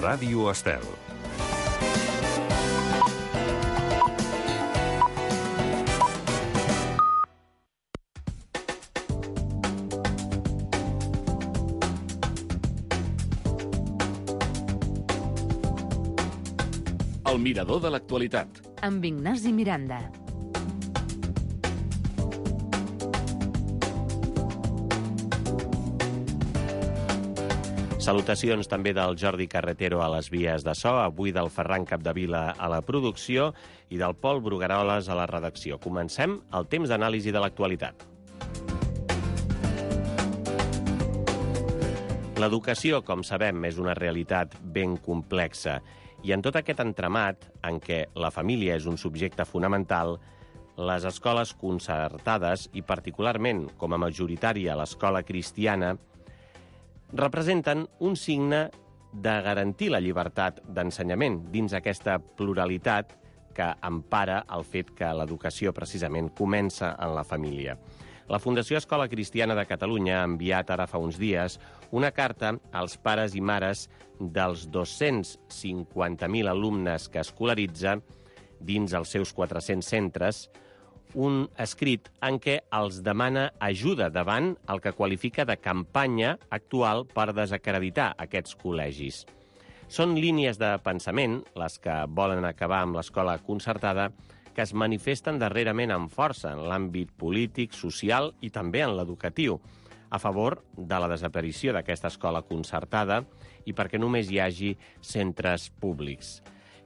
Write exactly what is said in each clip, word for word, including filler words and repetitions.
Ràdio Estel. El mirador de l'actualitat. Amb Ignasi Miranda. Salutacions també del Jordi Carretero a les vies de so, avui del Ferran Capdevila a la producció i del Pol Brugueroles a la redacció. Comencem el temps d'anàlisi de l'actualitat. L'educació, com sabem, és una realitat ben complexa i en tot aquest entramat en què la família és un subjecte fonamental, les escoles concertades i particularment com a majoritària l'escola cristiana representen un signe de garantir la llibertat d'ensenyament dins aquesta pluralitat que empara el fet que l'educació precisament comença en la família. La Fundació Escola Cristiana de Catalunya ha enviat ara fa uns dies una carta als pares i mares dels dos-cents cinquanta mil alumnes que escolaritza dins els seus quatre-cents centres, un escrit en què els demana ajuda davant el que qualifica de campanya actual per desacreditar aquests col·legis. Són línies de pensament, les que volen acabar amb l'escola concertada, que es manifesten darrerament amb força en l'àmbit polític, social i també en l'educatiu, a favor de la desaparició d'aquesta escola concertada i perquè només hi hagi centres públics.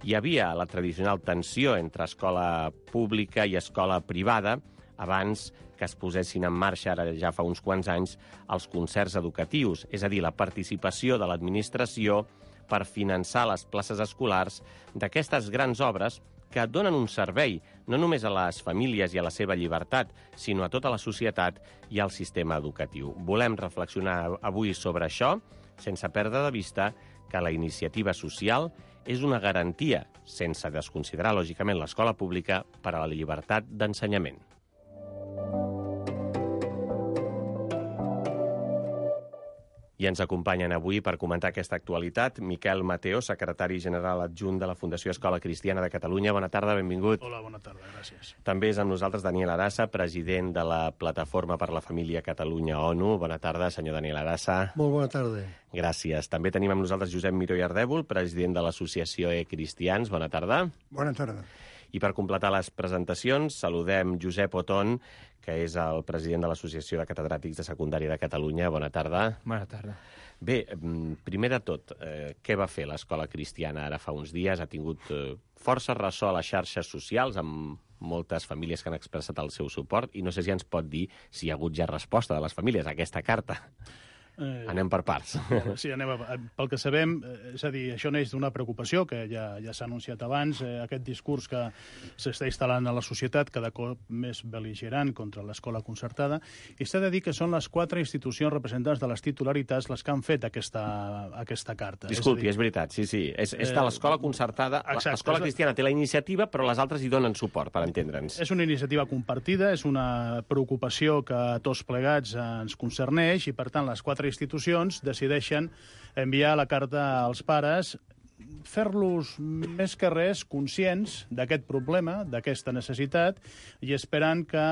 Hi havia la tradicional tensió entre escola pública i escola privada abans que es posessin en marxa, ara ja fa uns quants anys, els concerts educatius, és a dir, la participació de l'administració per finançar les places escolars d'aquestes grans obres que donen un servei no només a les famílies i a la seva llibertat, sinó a tota la societat i al sistema educatiu. Volem reflexionar avui sobre això, sense perdre de vista que la iniciativa social és una garantia, sense desconsiderar, lògicament, l'escola pública per a la llibertat d'ensenyament. I ens acompanyen avui per comentar aquesta actualitat Miquel Mateo, secretari general adjunt de la Fundació Escola Cristiana de Catalunya. Bona tarda, benvingut. Hola, bona tarda, gràcies. També és amb nosaltres Daniel Arassa, president de la Plataforma per la Família Catalunya-ONU. Bona tarda, senyor Daniel Arassa. Molt bona tarda. Gràcies. També tenim amb nosaltres Josep Miró i Ardèvol, president de l'Associació E-Cristians. Bona tarda. Bona tarda. I per completar les presentacions, saludem Josep Oton, que és el president de l'Associació de Catedràtics de Secundària de Catalunya. Bona tarda. Bona tarda. Bé, primer de tot, eh, què va fer l'escola cristiana ara fa uns dies? Ha tingut eh, força ressò a les xarxes socials, amb moltes famílies que han expressat el seu suport, i no sé si ens pot dir si hi ha hagut ja resposta de les famílies a aquesta carta. Eh, anem per parts. Sí, anem a, pel que sabem, és a dir, això neix d'una preocupació que ja, ja s'ha anunciat abans, eh, aquest discurs que s'està instal·lant a la societat cada cop més bel·ligerant contra l'escola concertada, i s'ha de dir que són les quatre institucions representants de les titularitats les que han fet aquesta, aquesta carta. Disculpi, és, és dir, és veritat, sí, sí. És, és de l'escola concertada. Exacte, l'escola cristiana té la iniciativa, però les altres hi donen suport, per entendre'ns. És una iniciativa compartida, és una preocupació que a tots plegats ens concerneix, i per tant les quatre institucions decideixen enviar la carta als pares, fer-los més que res conscients d'aquest problema, d'aquesta necessitat, i esperant que,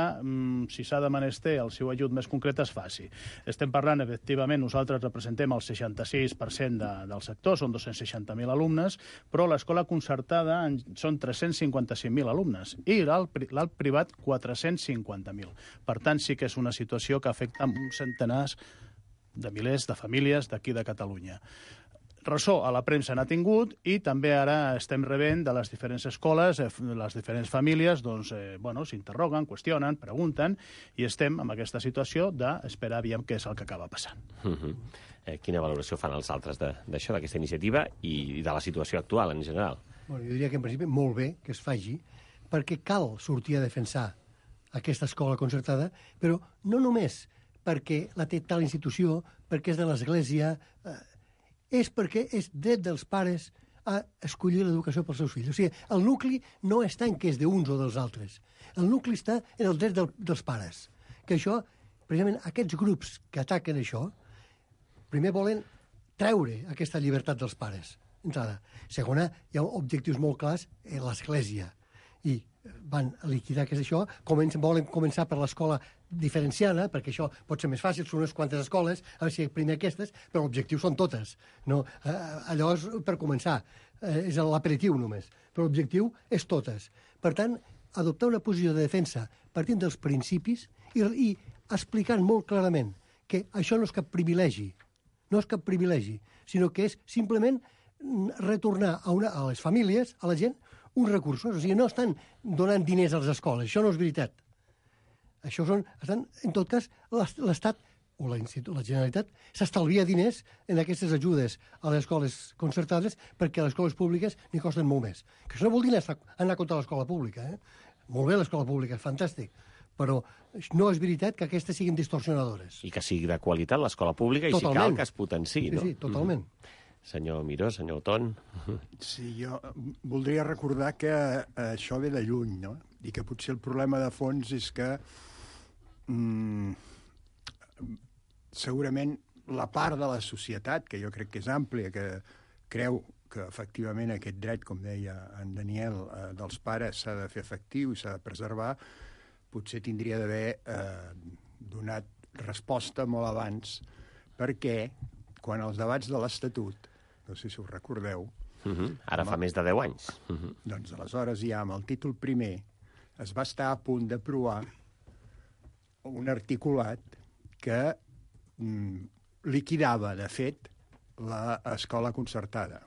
si s'ha de menester el seu ajut més concret, es faci. Estem parlant, efectivament, nosaltres representem el seixanta-sis per cent de, del sector, són dos-cents seixanta mil alumnes, però l'escola concertada són tres-cents cinquanta-cinc mil alumnes i l'alt privat quatre-cents cinquanta mil. Per tant, sí que és una situació que afecta uns centenars de milers de famílies d'aquí de Catalunya. Ressò a la premsa n'ha tingut, i també ara estem rebent de les diferents escoles, les diferents famílies, doncs, eh, bueno, s'interroguen, qüestionen, pregunten, i estem en aquesta situació d'esperar aviam què és el que acaba passant. Uh -huh. eh, quina valoració fan els altres d'això, d'aquesta iniciativa i de la situació actual en general? Bueno, jo diria que en principi molt bé que es faci, perquè cal sortir a defensar aquesta escola concertada, però no només perquè la té tal institució, perquè és de l'Església, eh, és perquè és dret dels pares a escollir l'educació pels seus fills. O sigui, el nucli no està en què és d'uns o dels altres. El nucli està en el dret del, dels pares. Que això, precisament, aquests grups que ataquen això, primer volen treure aquesta llibertat dels pares. entrada. Segona, hi ha objectius molt clars en l'Església. I van liquidar que és això, comencen, volen començar per l'escola diferenciada, perquè això pot ser més fàcil, són unes quantes escoles, a veure si primer aquestes, però l'objectiu són totes. No? Eh, allò és per començar, eh, és l'aperitiu només, però l'objectiu és totes. Per tant, adoptar una posició de defensa partint dels principis i, i explicant molt clarament que això no és cap privilegi, no és cap privilegi, sinó que és simplement retornar a, una, a les famílies, a la gent, uns recursos. O sigui, no estan donant diners a les escoles, això no és veritat. Això són, estan, en tot cas, l'Estat o la, la Generalitat s'estalvia diners en aquestes ajudes a les escoles concertades perquè les escoles públiques n'hi costen molt més. Que això no vol dir anar, anar contra l'escola pública. Eh? Molt bé l'escola pública, és fantàstic, però no és veritat que aquestes siguin distorsionadores. I que sigui de qualitat l'escola pública i Totalment. si cal que es potenciï, sí, no? Sí, totalment. Mm. Senyor Miró, senyor Oton. Sí, jo voldria recordar que això ve de lluny, no? I que potser el problema de fons és que mm, segurament la part de la societat, que jo crec que és àmplia, que creu que efectivament aquest dret, com deia en Daniel, eh, dels pares s'ha de fer efectiu i s'ha de preservar, potser tindria d'haver eh, donat resposta molt abans, perquè quan els debats de l'Estatut, no sé si us recordeu... Uh -huh. Ara fa més de deu anys. Uh -huh. Doncs aleshores ja amb el títol primer es va estar a punt d'aprovar un articulat que mm, liquidava, de fet, l'escola concertada.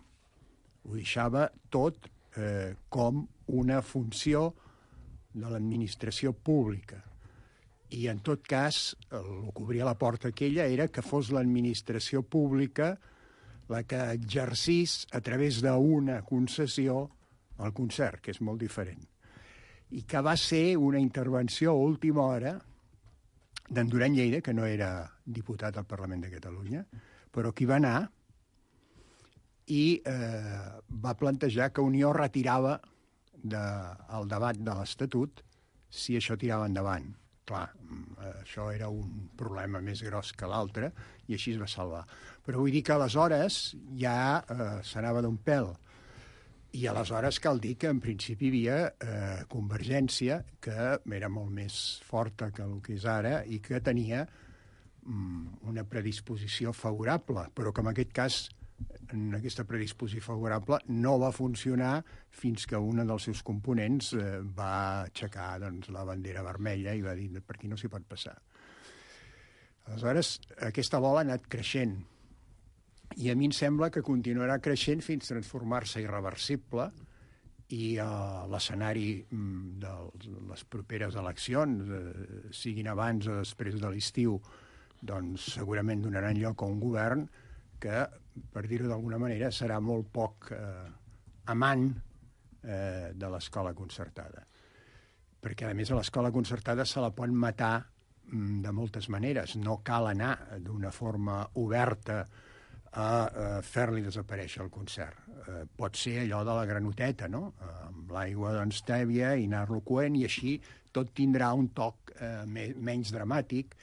Ho deixava tot eh, com una funció de l'administració pública. I, en tot cas, el que obria la porta aquella era que fos l'administració pública la que exercís a través d'una concessió el concert, que és molt diferent. I que va ser una intervenció a última hora d'en Duran Lleida, que no era diputat al Parlament de Catalunya, però que hi va anar i eh, va plantejar que Unió retirava de, el debat de l'Estatut si això tirava endavant. Clar, això era un problema més gros que l'altre i així es va salvar. Però vull dir que aleshores ja eh, s'anava d'un pèl. I aleshores cal dir que en principi hi havia eh, Convergència, que era molt més forta que el que és ara i que tenia mm, una predisposició favorable, però que en aquest cas en aquesta predisposició favorable no va funcionar fins que un dels seus components eh, va aixecar doncs, la bandera vermella i va dir per aquí no s'hi pot passar. Aleshores, aquesta bola ha anat creixent i a mi em sembla que continuarà creixent fins a transformar-se irreversible i eh, l'escenari mm, de les properes eleccions, eh, siguin abans o després de l'estiu, doncs segurament donaran lloc a un govern que, per dir-ho d'alguna manera, serà molt poc eh, amant eh, de l'escola concertada. Perquè, a més, a l'escola concertada se la pot matar mm, de moltes maneres. No cal anar d'una forma oberta a eh, fer-li desaparèixer el concert. Eh, pot ser allò de la granoteta, no? Eh, amb l'aigua doncs, tèbia i anar-lo coent, i així tot tindrà un toc eh, me menys dramàtic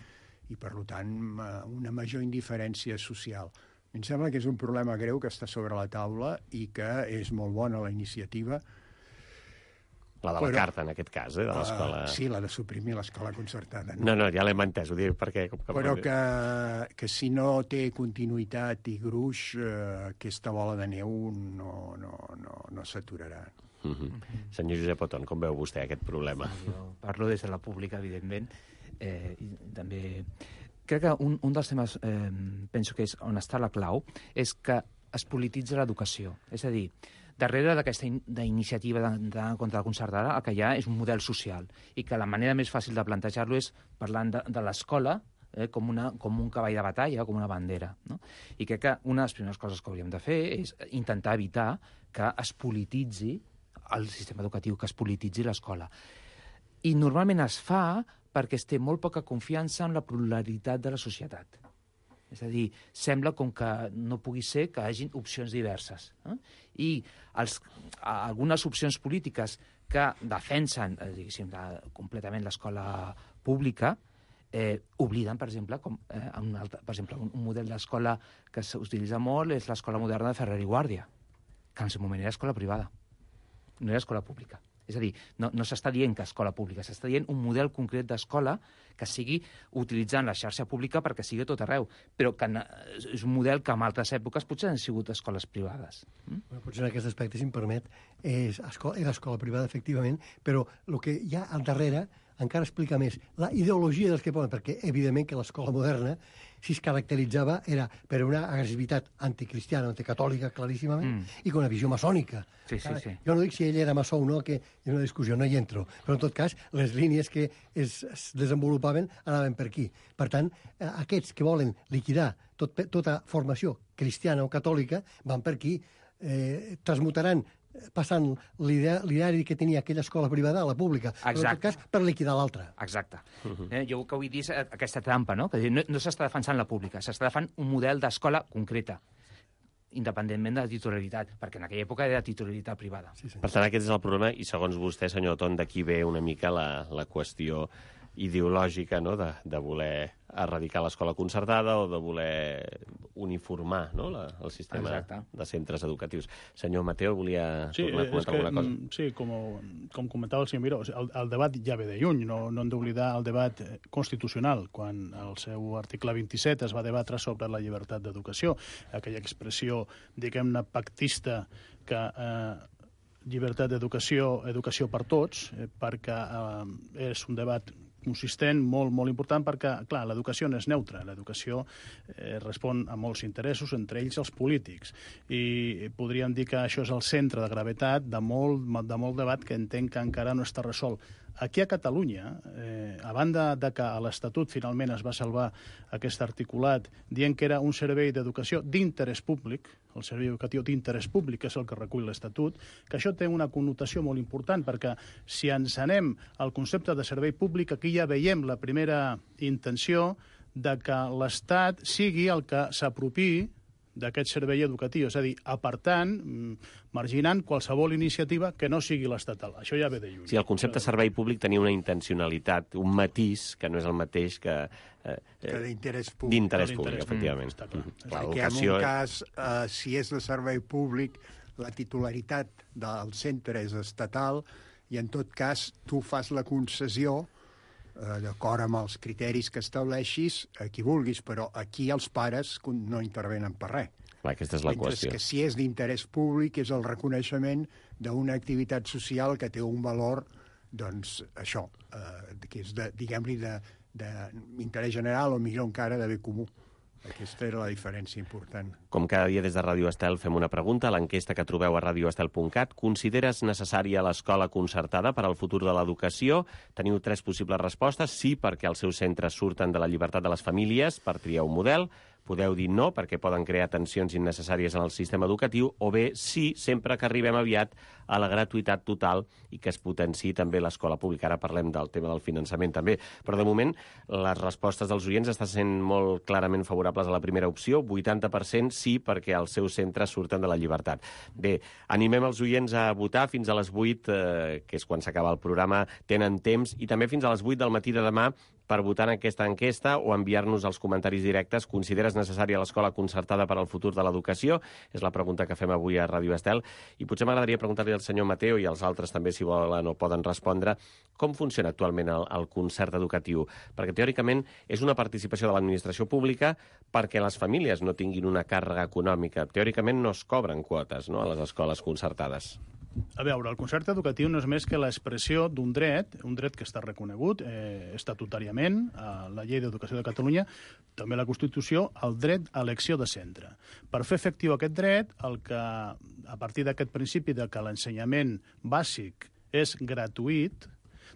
i, per tant, eh, una major indiferència social. Em sembla que és un problema greu que està sobre la taula i que és molt bona la iniciativa. La de la però, carta, en aquest cas, eh, de l'escola... Uh, sí, la de suprimir l'escola concertada. No, no, no ja l'hem entès, ho dic perquè... Com que però que, que si no té continuïtat i gruix, uh, aquesta bola de neu no, no, no, no s'aturarà. Uh -huh. Senyor Josep Oton, com veu vostè aquest problema? Sí, jo parlo des de la pública, evidentment, eh, i també... Crec que un, un dels temes, eh, penso que és on està la clau, és que es polititza l'educació. És a dir, darrere d'aquesta in iniciativa d'anar contra la concertada, el que hi ha és un model social i que la manera més fàcil de plantejar-lo és parlant de, de l'escola eh, com, una, com un cavall de batalla, com una bandera. No? I crec que una de les primeres coses que hauríem de fer és intentar evitar que es polititzi el sistema educatiu, que es polititzi l'escola. I normalment es fa perquè es té molt poca confiança en la pluralitat de la societat. És a dir, sembla com que no pugui ser que hi hagi opcions diverses. Eh? I els, algunes opcions polítiques que defensen eh, diguéssim, de, completament l'escola pública eh, obliden, per exemple, com, eh, un altre, per exemple, un, un model d'escola que s'utilitza molt és l'escola moderna de Ferrer i Guàrdia. que en el seu moment era escola privada, no era escola pública. És a dir, no, no s'està dient que escola pública, s'està dient un model concret d'escola que sigui utilitzant la xarxa pública perquè sigui a tot arreu, però que és un model que en altres èpoques potser han sigut escoles privades. Mm? Bueno, potser en aquest aspecte, si em permet, és escola, era escola privada, efectivament, però el que hi ha al darrere encara explica més la ideologia dels que poden, perquè evidentment que l'escola moderna, si es caracteritzava, era per una agressivitat anticristiana, anticatòlica, claríssimament, mm. i con una visió maçònica. Sí, sí, sí. Jo no dic si ell era maçó o no, que és una discussió, no hi entro, però en tot cas, les línies que es, es desenvolupaven anaven per aquí. Per tant, aquests que volen liquidar tot, tota formació cristiana o catòlica van per aquí, eh, transmutaran passant l'ideari que tenia aquella escola privada a la pública, però en tot cas per liquidar l'altra. Exacte. Uh-huh. eh, jo el que vull dir és aquesta trampa, no? Que no, no s'està defensant la pública, s'està defensant un model d'escola concreta, independentment de la titularitat, perquè en aquella època era titularitat privada. Sí, sí. Per tant, aquest és el problema, i segons vostè, senyor Ton, d'aquí ve una mica la, la qüestió ideològica, no?, de, de voler erradicar l'escola concertada o de voler uniformar, no?, la, el sistema Exacte. De centres educatius. Senyor Mateo, volia sí, tornar a comentar que, alguna cosa? Sí, com, com comentava el senyor Miró, el, el debat ja ve de lluny, no, no hem d'oblidar el debat constitucional, quan el seu article vint-i-set es va debatre sobre la llibertat d'educació, aquella expressió, diguem-ne, pactista que... Eh, llibertat d'educació, educació per tots, eh, perquè eh, és un debat consistent, molt, molt important, perquè, clar, l'educació no és neutra. L'educació eh, respon a molts interessos, entre ells els polítics. I podríem dir que això és el centre de gravetat de molt, de molt debat que entenc que encara no està resolt. Aquí a Catalunya, eh, a banda de que a l'Estatut finalment es va salvar aquest articulat dient que era un servei d'educació d'interès públic, el servei educatiu d'interès públic, que és el que recull l'Estatut, que això té una connotació molt important, perquè si ens anem al concepte de servei públic, aquí ja veiem la primera intenció de que l'Estat sigui el que s'apropiï d'aquest servei educatiu, és a dir, apartant, marginant qualsevol iniciativa que no sigui l'estatal. Això ja ve de lluny. Sí, el concepte de servei públic tenia una intencionalitat, un matís, que no és el mateix que... Eh, que d'interès públic. D'interès públic, efectivament. Està clar. Mm. Clar, que en un cas, eh, si és de servei públic, la titularitat del centre és estatal i en tot cas tu fas la concessió d'acord amb els criteris que estableixis, a qui vulguis, però aquí els pares no intervenen per res. Clar, aquesta és la Mentre qüestió. que si és d'interès públic és el reconeixement d'una activitat social que té un valor, doncs, això, eh, que és, de, diguem-li, d'interès general o millor encara de bé comú. Aquesta era la diferència important. Com cada dia des de Ràdio Estel fem una pregunta a l'enquesta que trobeu a radio estel punt cat. Consideres necessària l'escola concertada per al futur de l'educació? Teniu tres possibles respostes. Sí, perquè els seus centres surten de la llibertat de les famílies per triar un model. Podeu dir no, perquè poden crear tensions innecessàries en el sistema educatiu, o bé sí, sempre que arribem aviat a la gratuïtat total i que es potenciï també l'escola pública. Ara parlem del tema del finançament també, però de moment les respostes dels oients estan sent molt clarament favorables a la primera opció, vuitanta per cent sí, perquè els seus centres surten de la llibertat. Bé, animem els oients a votar fins a les vuit, eh, que és quan s'acaba el programa, tenen temps, i també fins a les vuit del matí de demà per votar en aquesta enquesta o enviar-nos els comentaris directes. Consideres necessària l'escola concertada per al futur de l'educació? És la pregunta que fem avui a Ràdio Estel. I potser m'agradaria preguntar-li al senyor Mateo i als altres també, si volen o poden respondre, com funciona actualment el, el concert educatiu? Perquè teòricament és una participació de l'administració pública perquè les famílies no tinguin una càrrega econòmica. Teòricament no es cobren quotes, no?, a les escoles concertades. A veure, el concert educatiu no és més que l'expressió d'un dret, un dret que està reconegut eh, estatutàriament a la Llei d'Educació de Catalunya, també a la Constitució, el dret a elecció de centre. Per fer efectiu aquest dret, el que, a partir d'aquest principi de que l'ensenyament bàsic és gratuït,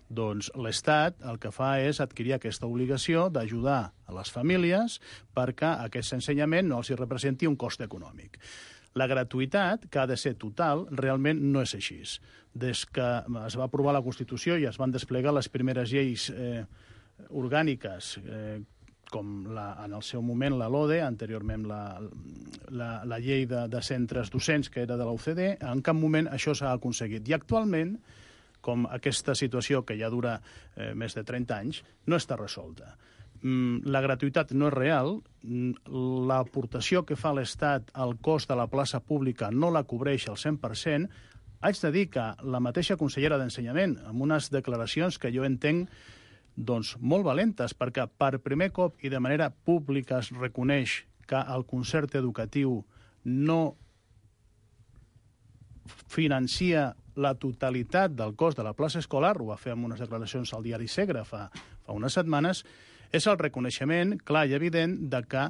doncs l'Estat el que fa és adquirir aquesta obligació d'ajudar a les famílies perquè aquest ensenyament no els hi representi un cost econòmic. La gratuïtat, que ha de ser total, realment no és així. Des que es va aprovar la Constitució i es van desplegar les primeres lleis eh, orgàniques, eh, com la, en el seu moment la LODE, anteriorment la, la, la llei de, de centres docents, que era de la U C D, en cap moment això s'ha aconseguit. I actualment, com aquesta situació que ja dura eh, més de trenta anys, no està resolta. la gratuïtat no és real, l'aportació que fa l'Estat al cost de la plaça pública no la cobreix al cent per cent, haig de dir que la mateixa consellera d'Ensenyament, amb unes declaracions que jo entenc doncs, molt valentes, perquè per primer cop i de manera pública es reconeix que el concert educatiu no financia la totalitat del cost de la plaça escolar, ho va fer amb unes declaracions al diari Segre fa, fa unes setmanes, és el reconeixement clar i evident de que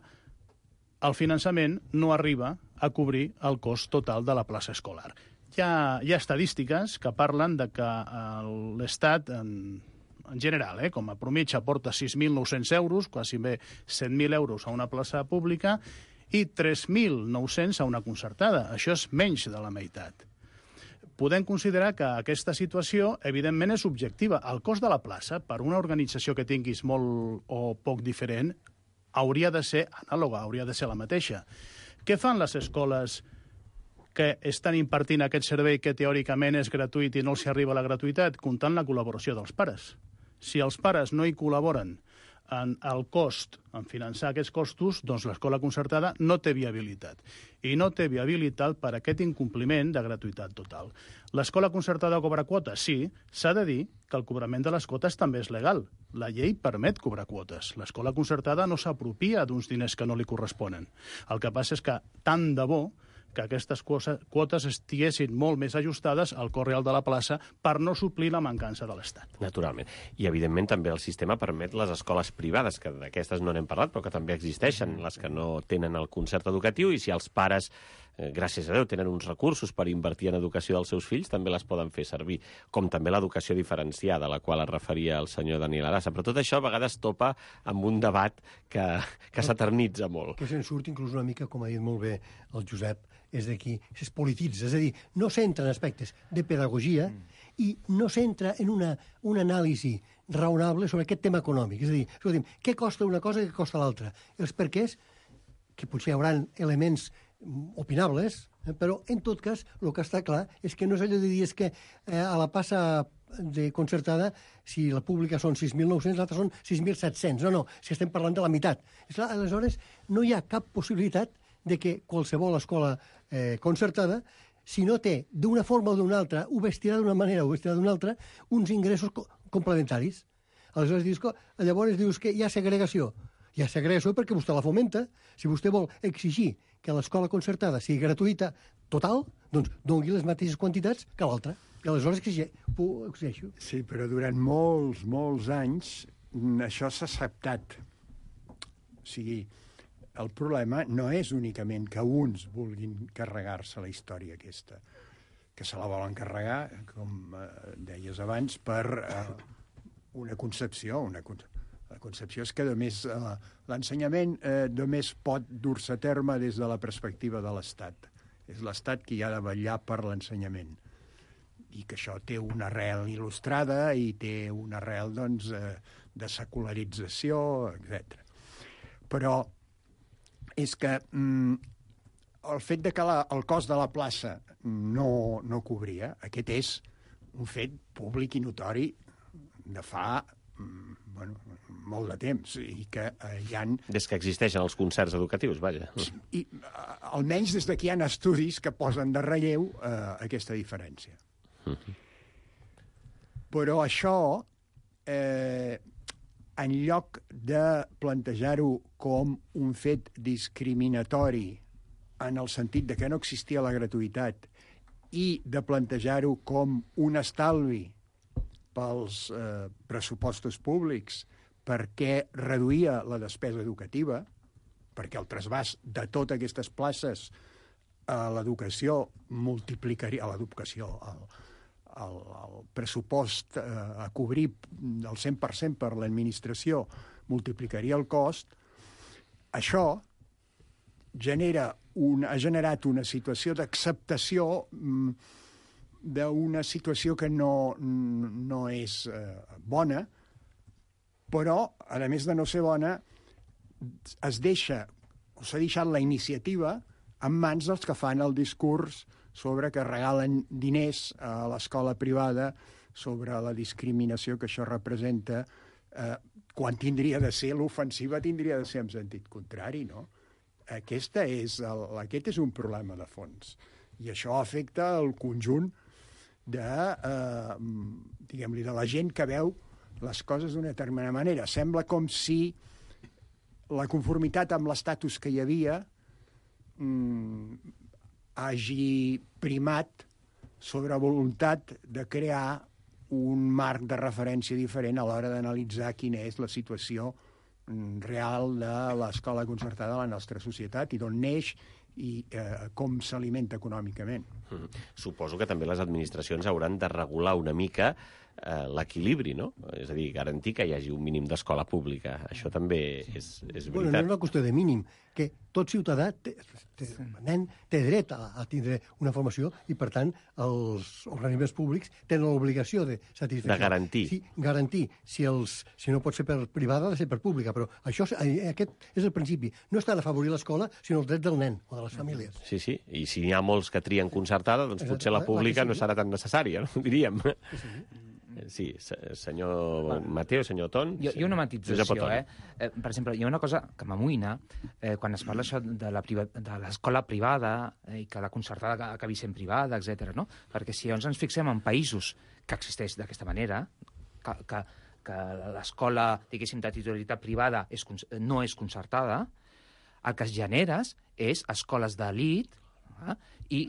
el finançament no arriba a cobrir el cost total de la plaça escolar. Hi ha, hi ha estadístiques que parlen de que l'Estat, en, en general, eh, com a promitja, aporta sis mil nou-cents euros, quasi bé set mil euros a una plaça pública, i tres mil nou-cents a una concertada. Això és menys de la meitat. Podem considerar que aquesta situació, evidentment, és objectiva. El cost de la plaça, per una organització que tinguis molt o poc diferent, hauria de ser anàloga, hauria de ser la mateixa. Què fan les escoles que estan impartint aquest servei que teòricament és gratuït i no els arriba a la gratuïtat? Comptant la col·laboració dels pares. Si els pares no hi col·laboren en el cost, en finançar aquests costos, doncs l'escola concertada no té viabilitat. I no té viabilitat per aquest incompliment de gratuïtat total. L'escola concertada cobra quotes? Sí, s'ha de dir que el cobrament de les quotes també és legal. La llei permet cobrar quotes. L'escola concertada no s'apropia d'uns diners que no li corresponen. El que passa és que tant de bo que aquestes quotes estiguessin molt més ajustades al cost real de la plaça per no suplir la mancança de l'Estat. Naturalment. I, evidentment, també el sistema permet les escoles privades, que d'aquestes no n'hem parlat, però que també existeixen, les que no tenen el concert educatiu, i si els pares, eh, gràcies a Déu, tenen uns recursos per invertir en educació dels seus fills, també les poden fer servir, com també l'educació diferenciada, a la qual es referia el senyor Daniel Arassa. Però tot això a vegades topa amb un debat que, que s'eternitza molt. Que se'n surt inclús una mica, com ha dit molt bé el Josep, és d'aquí, es polititza, és a dir, no s'entra en aspectes de pedagogia mm. i no s'entra en una, una anàlisi raonable sobre aquest tema econòmic. És a dir, escolti'm, què costa una cosa i què costa l'altra? Els perquès, que potser hi haurà elements opinables, eh, però en tot cas el que està clar és que no és allò de dir és que eh, a la passa de concertada, si la pública són sis mil nou-cents, l'altra són sis mil set-cents. No, no, si estem parlant de la meitat. És clar, aleshores no hi ha cap possibilitat de que qualsevol escola eh, concertada, si no té d'una forma o d'una altra, ho vestirà d'una manera o ho vestirà d'una altra, uns ingressos co complementaris. Aleshores dius que, llavors dius que hi ha segregació. Hi ha segregació perquè vostè la fomenta. Si vostè vol exigir que l'escola concertada sigui gratuïta total, doncs doni les mateixes quantitats que l'altra. I aleshores ho exigeixo. Sí, però durant molts, molts anys això s'ha acceptat. O sigui, el problema no és únicament que uns vulguin carregar-se la història aquesta, que se la volen carregar, com eh, deies abans, per eh, una concepció. Una concepció. La concepció és que només eh, l'ensenyament eh, només pot dur-se a terme des de la perspectiva de l'Estat. És l'Estat qui ha de vetllar per l'ensenyament. I que això té una arrel il·lustrada i té una arrel, doncs, eh, de secularització, etcètera. Però és que mm, el fet de que la, el cost de la plaça no, no cobria, aquest és un fet públic i notori de fa mm, bueno, molt de temps, i que eh, hi ha... Des que existeixen els concerts educatius, vaja. I eh, almenys des d'aquí hi ha estudis que posen de relleu eh, aquesta diferència. Uh-huh. Però això, eh, en lloc de plantejar-ho com un fet discriminatori en el sentit de que no existia la gratuïtat i de plantejar-ho com un estalvi pels eh, pressupostos públics perquè reduïa la despesa educativa, perquè el trasbàs de totes aquestes places a l'educació multiplicaria, a l'educació, al, al, al pressupost eh, a cobrir el cent per cent per l'administració multiplicaria el cost, això genera un, ha generat una situació d'acceptació mm, d'una situació que no, no és eh, bona, però, a més de no ser bona, es deixa, o s'ha deixat la iniciativa en mans dels que fan el discurs sobre que regalen diners a l'escola privada, sobre la discriminació que això representa, eh, quan tindria de ser l'ofensiva tindria de ser en sentit contrari, no? Aquesta és el, aquest és un problema de fons. I això afecta el conjunt de, eh, diguem-li, de la gent que veu les coses d'una determinada manera. Sembla com si la conformitat amb l'estatus que hi havia mm, hagi primat sobre voluntat de crear un marc de referència diferent a l'hora d'analitzar quina és la situació real de l'escola concertada de la nostra societat i d'on neix i eh, com s'alimenta econòmicament. Mm. Suposo que també les administracions hauran de regular una mica eh, l'equilibri, no? És a dir, garantir que hi hagi un mínim d'escola pública. Això també és, és veritat. Bueno, no és una qüestió de mínim, que tot ciutadà té, té, nen, té dret a, a tindre una formació i, per tant, els organismes públics tenen l'obligació de satisfer. De garantir. Sí, garantir. Si, els, si no pot ser per privada, ha de ser per pública, però això, aquest és el principi. No està d'afavorir l'escola, sinó els drets del nen o de les famílies. Sí, sí, i si n'hi ha molts que trien concertada, doncs Exacte, potser la pública sí. no serà tan necessària, no? Diríem. Sí, sí. Sí, senyor Mateo, senyor Ton... Hi ha, hi ha una matització, eh? eh? Per exemple, hi ha una cosa que m'amoïna eh, quan es parla això de la priva de l'escola privada eh, i que la concertada acabi sent privada, etcètera. No? Perquè si llavors ens fixem en països que existeix d'aquesta manera, que, que, que l'escola, diguéssim, de titularitat privada és, no és concertada, el que es generes és escoles d'elit eh? i,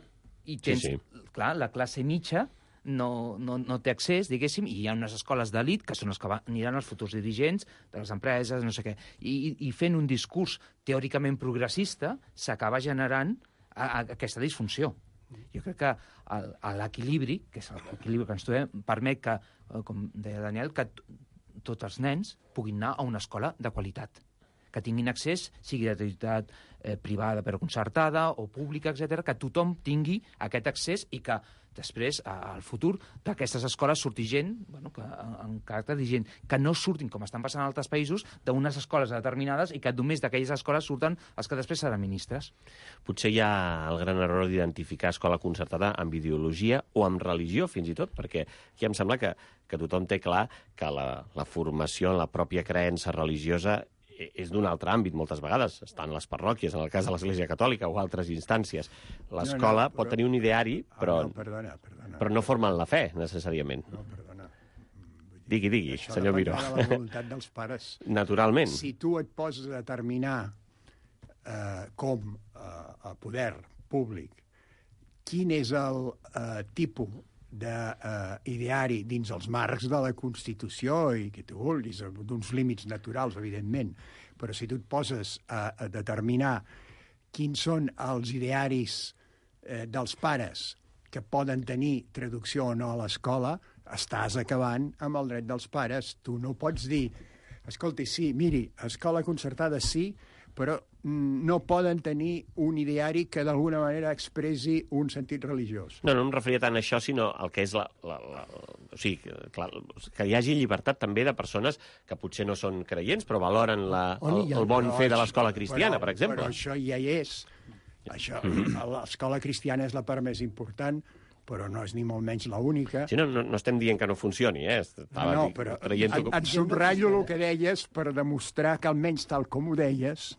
i tens, sí, sí. clar, la classe mitja no, no, no té accés, diguéssim, i hi ha unes escoles d'elit que són els que va, aniran els futurs dirigents de les empreses, no sé què. I, i fent un discurs teòricament progressista s'acaba generant a, a aquesta disfunció. Jo crec que l'equilibri, que és l'equilibri que ens trobem, permet que, com deia Daniel, que tots els nens puguin anar a una escola de qualitat, que tinguin accés, sigui de titularitat eh, privada però concertada o pública, etcètera, que tothom tingui aquest accés i que després, al futur, d'aquestes escoles surti gent, bueno, que, en caràcter de gent, que no surtin, com estan passant en altres països, d'unes escoles determinades i que només d'aquelles escoles surten els que després seran ministres. Potser hi ha el gran error d'identificar escola concertada amb ideologia o amb religió, fins i tot, perquè aquí em sembla que, que tothom té clar que la, la formació en la pròpia creença religiosa és d'un altre àmbit, moltes vegades. Estan les parròquies, en el cas de l'Església Catòlica o altres instàncies. L'escola no, no, pot tenir un ideari, però, ah, no, perdona, perdona, però no formen la fe, necessàriament. No, perdona. Digui, digui, Això senyor Miró. Això depèn de la voluntat dels pares. Naturalment. Si tu et poses a determinar eh, com eh, a poder públic quin és el eh, tipus d'ideari uh, dins els marcs de la Constitució i que tu vulguis, d'uns límits naturals, evidentment, però si tu et poses a, a determinar quins són els idearis eh, dels pares que poden tenir traducció o no a l'escola, estàs acabant amb el dret dels pares. Tu no pots dir, escolti, sí, miri, escola concertada sí, però no poden tenir un ideari que d'alguna manera expressi un sentit religiós. No, no em referia tant a això, sinó al que és la... la, la o sigui, clar, que hi hagi llibertat també de persones que potser no són creients, però valoren la, el, el bon fer de l'escola cristiana, però, per exemple. Però això ja hi és. Això, l'escola cristiana és la part més important, però no és ni molt menys l'única. Sí, no, no, no estem dient que no funcioni, eh? Estava no, però et, et subratllo el que deies per demostrar que almenys tal com ho deies,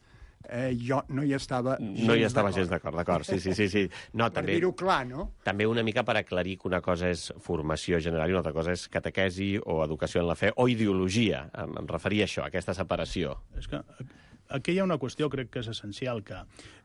eh, jo no hi estava gens No hi estava gens d'acord, d'acord, sí, sí, sí. sí. No, per també, dir-ho clar, no? També una mica per aclarir que una cosa és formació general i una altra cosa és catequesi o educació en la fe o ideologia. Em, em referia a això, a aquesta separació. És que aquí hi ha una qüestió, crec que és essencial, que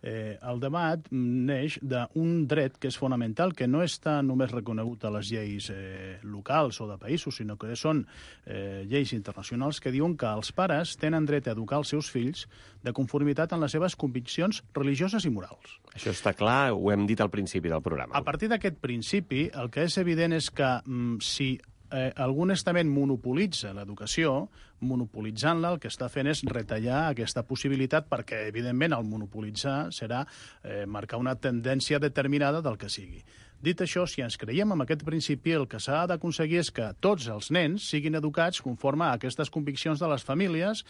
eh, el debat neix d'un dret que és fonamental, que no està només reconegut a les lleis eh, locals o de països, sinó que són eh, lleis internacionals que diuen que els pares tenen dret a educar els seus fills de conformitat en les seves conviccions religioses i morals. Això està clar, ho hem dit al principi del programa. A partir d'aquest principi, el que és evident és que mm, si eh, algun estament monopolitza l'educació, monopolitzant-la, el que està fent és retallar aquesta possibilitat perquè, evidentment, el monopolitzar serà eh, marcar una tendència determinada del que sigui. Dit això, si ens creiem en aquest principi, el que s'ha d'aconseguir és que tots els nens siguin educats conforme a aquestes conviccions de les famílies,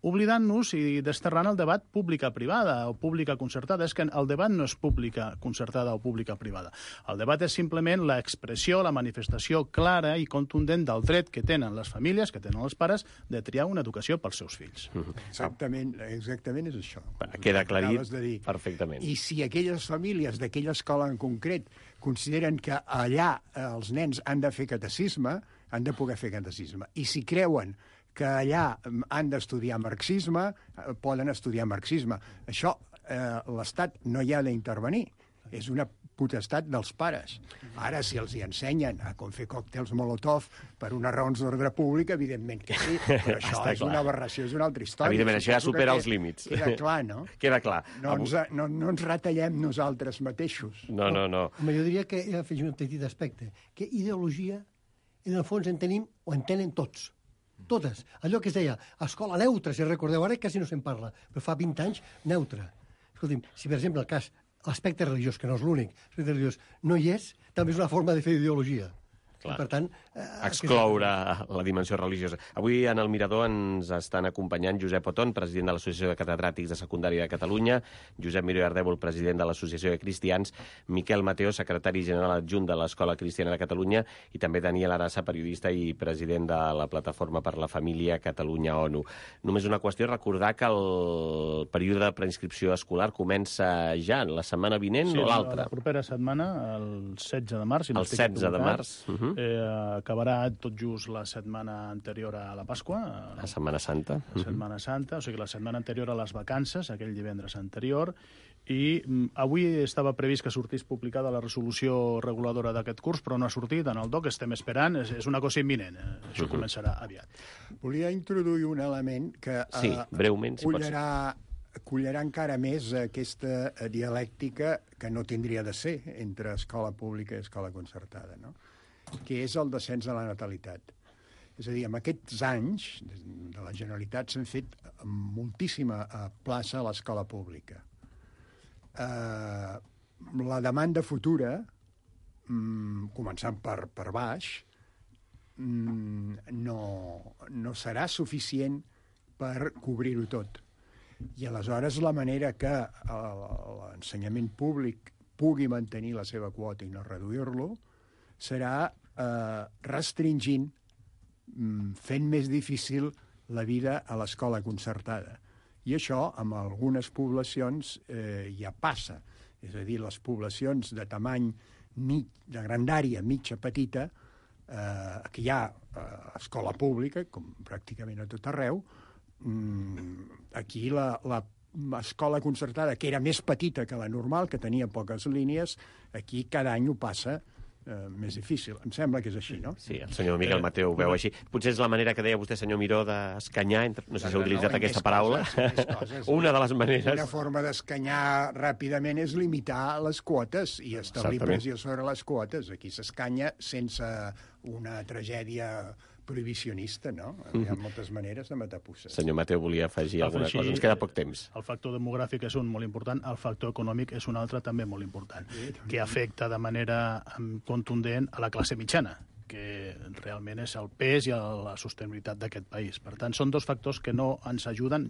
oblidant-nos i desterrant el debat pública-privada o pública-concertada. És que el debat no és pública-concertada o pública-privada. El debat és simplement l'expressió, la manifestació clara i contundent del dret que tenen les famílies, que tenen els pares, de triar una educació pels seus fills. Exactament, exactament és això. Queda aclarit de dir. perfectament. I si aquelles famílies d'aquella escola en concret consideren que allà els nens han de fer catecisme, han de poder fer catecisme. I si creuen que allà han d'estudiar marxisme, poden estudiar marxisme. Això eh, l'Estat no hi ha d'intervenir. És una potestat dels pares. Ara, si els hi ensenyen a com fer còctels Molotov per unes raons d'ordre públic, evidentment que sí, però això és una aberració, és una altra història. Evidentment, això ja supera els límits. Queda clar, no? Queda clar. No ens, no, no ens retallem nosaltres mateixos. No, no, no. Home, jo diria que he afegit un petit aspecte, que ideologia, en el fons, en tenim o en tenen tots. Totes. Allò que es deia, escola neutra, si recordeu, ara quasi no se'n parla, però fa vint anys, neutra. Escolti'm, si per exemple el cas, l'aspecte religiós, que no és l'únic, l'aspecte religiós no hi és, també és una forma de fer ideologia. Clar. Per tant... Eh, excloure la dimensió religiosa. Avui en el Mirador ens estan acompanyant Josep Oton, president de l'Associació de Catedràtics de Secundària de Catalunya, Josep Miró i Ardèvol, president de l'Associació de Cristians, Miquel Mateo, secretari general adjunt de l'Escola Cristiana de Catalunya, i també Daniel Arassa, periodista i president de la Plataforma per la Família Catalunya-ONU. Només una qüestió, recordar que el període de preinscripció escolar comença ja la setmana vinent sí, o l'altra? La propera setmana, el setze de març. Si no el setze de març. Uh -huh. Eh, acabarà tot just la setmana anterior a la Pasqua. La Setmana Santa. La Setmana Santa, o sigui, la setmana anterior a les vacances, aquell divendres anterior, i mm, avui estava previst que sortís publicada la resolució reguladora d'aquest curs, però no ha sortit en el D O C, estem esperant, és, és una cosa imminent, eh? Això uh -huh. començarà aviat. Volia introduir un element que eh, sí, breument, si collarà, collarà encara més aquesta dialèctica que no tindria de ser entre escola pública i escola concertada, no? Que és el descens de la natalitat. És a dir, en aquests anys de la Generalitat s'han fet moltíssima plaça a l'escola pública. Eh, la demanda futura, mm, començant per, per baix, mm, no, no serà suficient per cobrir-ho tot. I aleshores la manera que l'ensenyament públic pugui mantenir la seva quota i no reduir-lo serà eh, restringint, fent més difícil la vida a l'escola concertada. I això, en algunes poblacions, eh, ja passa. És a dir, les poblacions de tamany mig, de grandària mitja petita, eh, que hi ha eh, escola pública, com pràcticament a tot arreu, mm, aquí la, la escola concertada, que era més petita que la normal, que tenia poques línies, aquí cada any ho passa Uh, més difícil. Em sembla que és així, no? Sí, el senyor Miquel Mateu ho veu així. Potser és la manera que deia vostè, senyor Miró, d'escanyar, entre... no sé si ha utilitzat no, aquesta paraula. Coses, coses. Una de les maneres... Una forma d'escanyar ràpidament és limitar les quotes i establir pressió sobre les quotes. Aquí s'escanya sense una tragèdia prohibicionista, no? Hi ha moltes maneres de matar puces. Senyor Mateu volia afegir alguna cosa. Ens queda poc temps. El factor demogràfic és un molt important, el factor econòmic és un altre també molt important, que afecta de manera contundent a la classe mitjana, que realment és el pes i la sostenibilitat d'aquest país. Per tant, són dos factors que no ens ajuden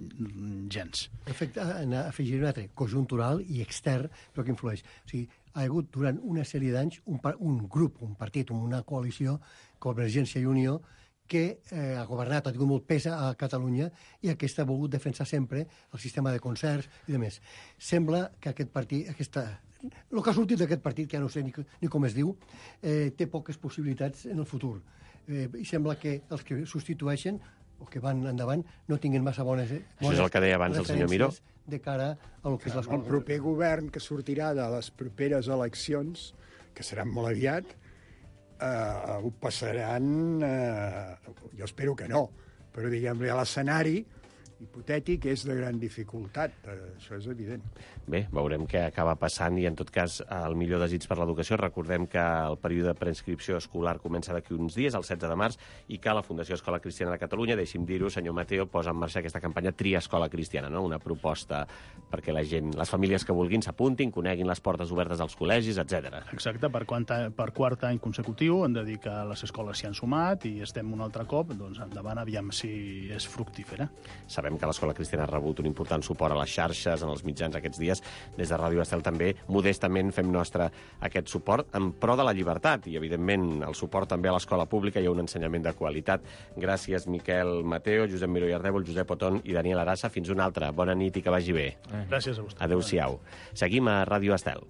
gens. Efecte, afegir un altre, conjuntural i extern, però que influeix. O sigui, ha hagut durant una sèrie d'anys un, un grup, un partit, una coalició, Convergència i Unió, que eh, ha governat, ha tingut molt pes a Catalunya i aquesta ha volgut defensar sempre el sistema de concerts i de més. Sembla que aquest partit, aquesta, el que ha sortit d'aquest partit, que ja no sé ni, ni com es diu, eh, té poques possibilitats en el futur. Eh, I sembla que els que substitueixen o que van endavant no tinguin massa bones, bones Això és el que deia abans el senyor Miró. De cara a lo que és l'escola. El proper govern que sortirà de les properes eleccions, que seran molt aviat, eh, ho passaran, eh, jo espero que no, però diguem-li a l'escenari hipotètic és de gran dificultat, eh, això és evident. Bé, veurem què acaba passant i, en tot cas, el millor desig per l'educació. Recordem que el període de preinscripció escolar comença d'aquí uns dies, el setze de març, i que la Fundació Escola Cristiana de Catalunya, deixi'm dir-ho, senyor Mateo, posa en marxa aquesta campanya Tria Escola Cristiana, no? Una proposta perquè la gent, les famílies que vulguin s'apuntin, coneguin les portes obertes als col·legis, etcètera. Exacte, per, quanta, per quart any consecutiu hem de dir que les escoles s'hi han sumat i estem un altre cop, doncs endavant, aviam si és fructífera. Sabem sabem que l'Escola Cristiana ha rebut un important suport a les xarxes, en els mitjans aquests dies. Des de Ràdio Estel també, modestament, fem nostre aquest suport en pro de la llibertat i, evidentment, el suport també a l'escola pública. Hi ha un ensenyament de qualitat. Gràcies, Miquel Mateo, Josep Miró i Ardèvol, Josep Oton i Daniel Arassa. Fins una altra. Bona nit i que vagi bé. Gràcies a vostè. Adéu-siau. Seguim a Ràdio Estel.